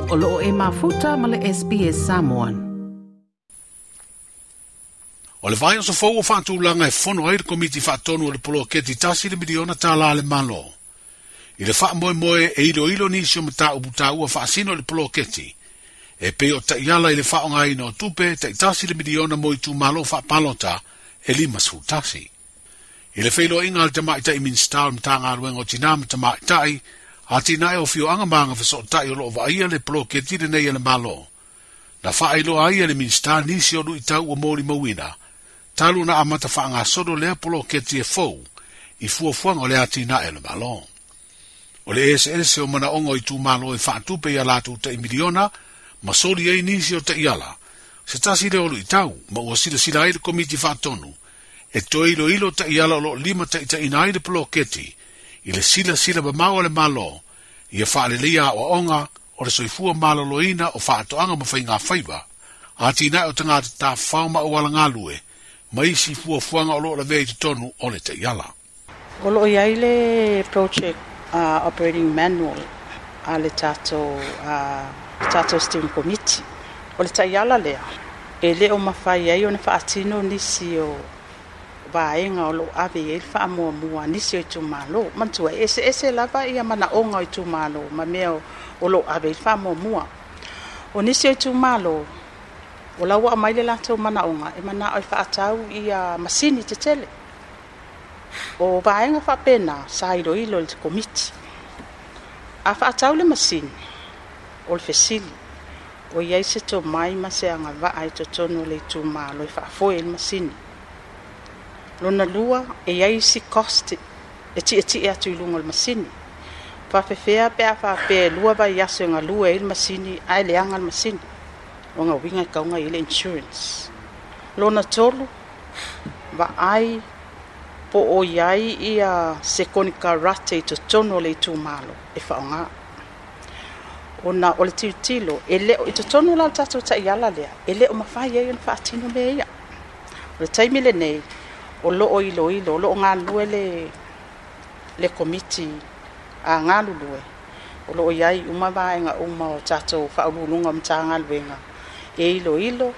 O loo e mafuta ma le SBS Samoan. O le vaiaso fou ua faatulaga e fono ai le Komiti Faatonu o le Poloketi $1 miliona a le Malo. I le faamoemoe e iloilo nisi o mataupu taua faasino i le poloketi, e pei o taiala i le faaaogaina o tupe tai $1 miliona mo itumalo faapalota e 51. I le feiloaiga a le tamaitai Minisita o le Matagaluega o Tinā ma Tamaitai, Atinae o Afioaga ma Agafesootai o loo vaaia le poloketi lenei a le Malo. Na faailoa ai e le Minisita nisi o luitau ua molimauina, talu na amata faagasolo lea poloketi e fou i fuafuaga o le atinae o le Malo. O le eseese o manaoga o itumalo e faatupe ia latou tai miliona ma soli ai nisi o taiala, se tasi lea o luitau ma ua silasila ai le Komiti Faatonu e toe iloilo taiala o loo limataitaiina ai le poloketi i le silasila mamao a le Malo ia faaleleia aoaoga o le soifua maloloina o faatoaga ma faiga faiva, atinae o tagata tafafao ma auala galue, ma isi fuafuaga o loo lavea i totonu o le taiala. O loo i ai le project operating manual a le tatou steering committee. O le taiala lea, e le o mafai ai ona faatino nisi o vaega o loo ave i ai le faamuamua a nisi o itumalo. Manatua e eseese lava ia manaoga o itumalo ma mea o loo ave i le faamuamua. O nisi o itumalo, o la ua aumai le latou manaoga e manao e faatau ia masini tetele. O vaega faapena sa iloilo i le komiti. A faatau le masini, o le fesili, o i ai se tomai ma se agavaa i totonu o le itumalo e faafoe ai le masini. Lona lua, e i ai isi cost e tietie atu i luga o le masini. Faafefea pe a faapea e 2 vaiaso e galue ai le masini ae leaga le masini. O lona uiga e tatau ona i ai le insurance. Lona tolu, vaai po o i ai ia se konekarate i totonu o le itumalo e faaaoga. Ona o le tilotilo, e le o i totonu la o le tatou taiala lea, e le o mafai ai ona faatino mea ia. O le taimi lenei, o loo iloilo, o loo galulue le komiti a galulue, o loo i ai uma vaega uma o tatou faauluuluga o Matagaluega e iloilo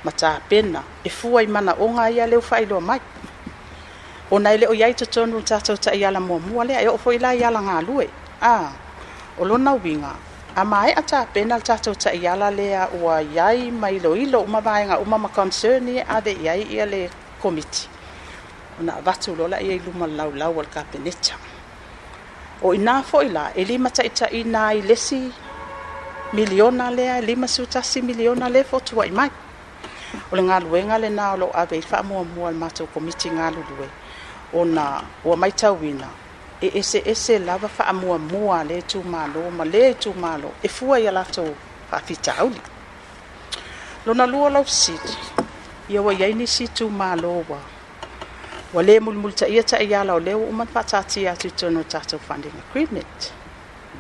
ma tapena e fua i manaoga ia lea ua faailoa mai. Ona e le o i ai i totonu o le tatou taiala muamua lea, e oo foi la i ala galue. O lona uiga, a maea tapena le tatou taiala lea ua i ai ma iloilo uma vaega uma ma concern ia e ave i ai ia le komiti, ona avatu loa lea i luma o le laulau a le Kapeneta. O ina foi la, e limataitaiina ai le isi miliona lea, $51 miliona lea e fotuai mai. O le galuega lena o loo ave i faamuamua a le matou komiti galulue, ona ua matauina e eseese lava faamuamua a lea itumalo ma lea itumalo e fua i a latou faafitauli. Lona lua lau fesili, ia ua i ai nisi itumalo ua le mulimulitaia taiala o lea ua uma ona faataatia atu i totonu o le tatou funding agreement.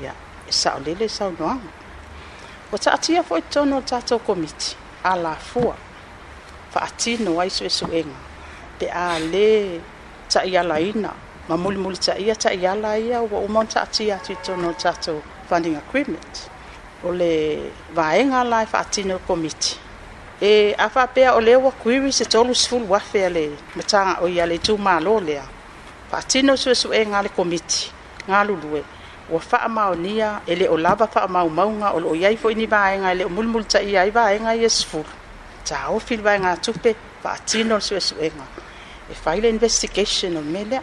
Ia, e saolele le saunoaga. Ua taatia foi i totonu o le tatou komiti alafua faatino ai suesuega pe a le taialaina ma mulimulitaia taiala ia ua uma ona taatia atu i totonu o le tatou funding agreement. O le vaega la e faatino e le komiti, e a faapea o lea ua query se 30,000 a le matagaluega a le itumalo lea, faatino suesuega a le komiti galulue ua faamaonia e le o lava faamaumauga, o loo i ai foi ni vaega e le o mulimulitaia ai vaega ia 10, taofi le vaegatupe, faatino le suesuega e fai le investigation o le mea lea.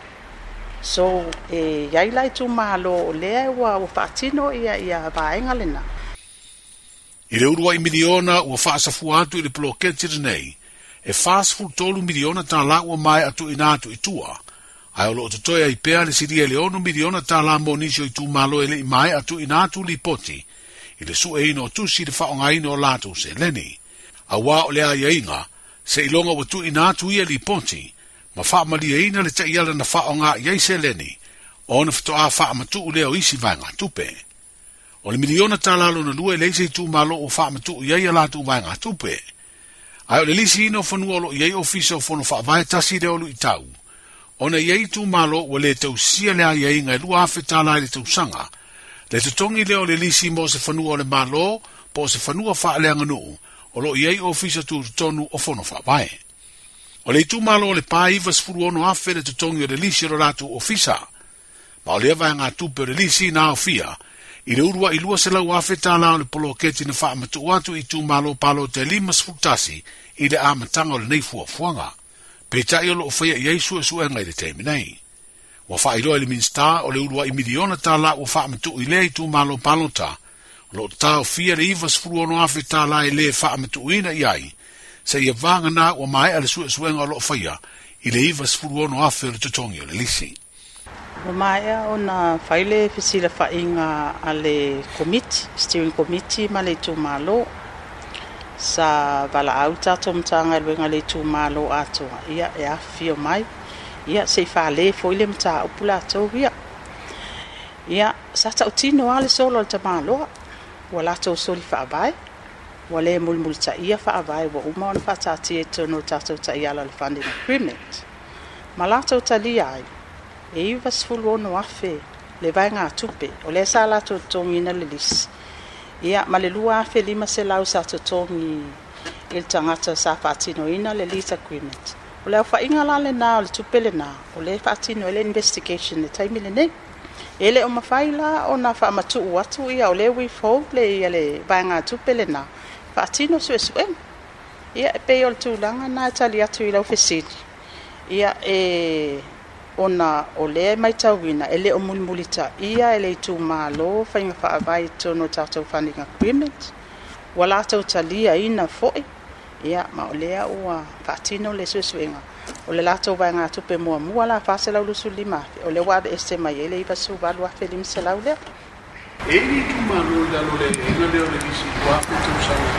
So e i ai la itumalo o lea ua faatino ia vaega lena. I le uluai miliona ua faasafua atu i le poloketi lenei, e $43 miliona ua maea tuuina atu i tua, ae o loo totoe ai pea le silia i le $6 miliona mo nisi o itumalo e le i maea tuuina atu lipoti i le sueina o tusi i le faaaogaina o latou seleni. Auā o le aiaiga, seiloga ua tuuina atu ia lipoti ma faamalieina le taiala na faaaoga i ai seleni, ona faatoa faamatuu lea o isi vaegatupe. O le miliona tala lona lua e leai se itumalo ua faamatuu i ai a latou vaegatupe. Ae o le lisiina o fanua o loo i ai ofisa o fono faavae tasi lea o luitau, ona i ai itumalo ua le tausia le aiaiga e $2,000 i le tausaga, Le totogi lea o le lisi mo se fanua o le Malo po o se fanua faaleaganuu o lo o i ai ofisa tutotonu o Fono Faavae. O le itumalo o Lepa e 96,000 le totogi o le lisi o lo latou ofisa, ma o lea vaegatupe o le lisi na aofia i le uluai 200,000 tala o le poloketi na faamatuu atu i itumalo palota e 51 i le amataga o lenei fuafuaga. Peitai o lo o faia i ai suesuega i le taimi nei. Ua faailoa e le Minisita o le uluai miliona tala ua faamatuu i lea itumalo palota, o lo o taofia le 96,000 tala e le faamatuuina i ai, seia vagana ua maea le suesuega o lo o faia i le 96,000 o le totogi o le lisi. Ua maea ona fai le fesilafaiga a le Komiti, Steering Committee ma le itumalo. Sa valaau le tatou Matagaluega i le itumalo atoa, ia e afifio mai, ia se i fale foi le mataupu latou ia. Ia, sa tautino lava le solo a le tamaloa, ua latou soli faavae, ua le mulimulitaia faavae ua uma ona faataatia i totonu o le tatou taiala o le funding agreement. Ma latou talia ai, e 96,000 le vaegatupe o lea sa latou totogiina le lisi, ia ma le 2,500 sa totogi i le tagata sa faatinoina le lease agreement. O le aofaiga la lena o le tupe lena, o lea e faatino ai le investigation i le taimi lenei. E le o mafai la ona faamatuu atu ia o lea withhold le ia le vaegatupe lena faatino suesuega. Ia e pei o le tulaga lena e tali atu i lau fesili. Ia e ona o lea e matauina e le o mulimulitaia e le itumalo faiga faavae i totonu o le tatou funding agreement. Ua latou taliaina foi, ia ma o lea ua faatino le suesuega. O le latou vaegatupe muamua la 425,000, o lea ua aveese mai ai le 98,500 lea. E i ai le itumalo i lalo o le aiaiga lea o le lisi 2,000 tausaga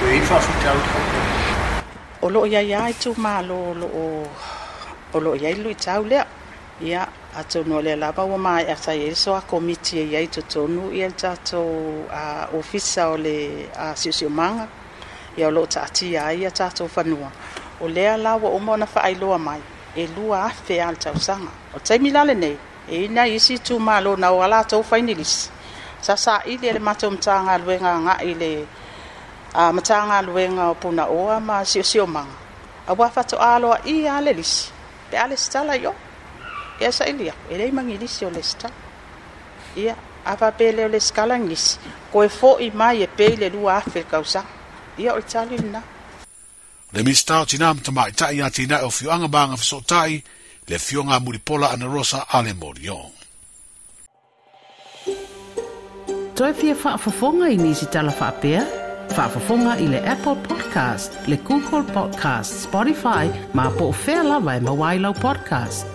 o i ai faafitauli faapea? O lo o i ai lava itumalo o lo o o lo o i ai le luitau lea. Ia, atonu o lea lava ua maea sa i ai le soa komiti e i ai i totonu ia le tatou ofisa o le siosiomaga, ia o lo o taatia ai ia tatou fanua. O lea la ua uma ona faailoa mai, e 2,000 lava le tausaga. O le taimi la lenei, e i ai nai isi itumalo na o a latou fai ni lisi, sa saili e le matou Matagaluega agai i le Matagaluega o Punaoa ma Siosiomaga, aua faatoa aloaia lava le lisi pe a lesitala i o. Ia saili atu, e leai ma ni lisi o lesitala. Ia, a faapea e le o lesitala ni lisi, toe foi mai e pay le 2,000 i le tausaga. Ia, o le tali lena. Le Minisita o Tinā ma Tamaitai, Atinae o Afioaga ma Agafesootai, le Afioga a Mulipola Anarosa Ale Morion. Toe fia faafofoga i nisi tala faapea? Faafofoga i le Apple Podcast, le Google Podcast, Spotify, ma po o fea lava e maua ai lau podcast.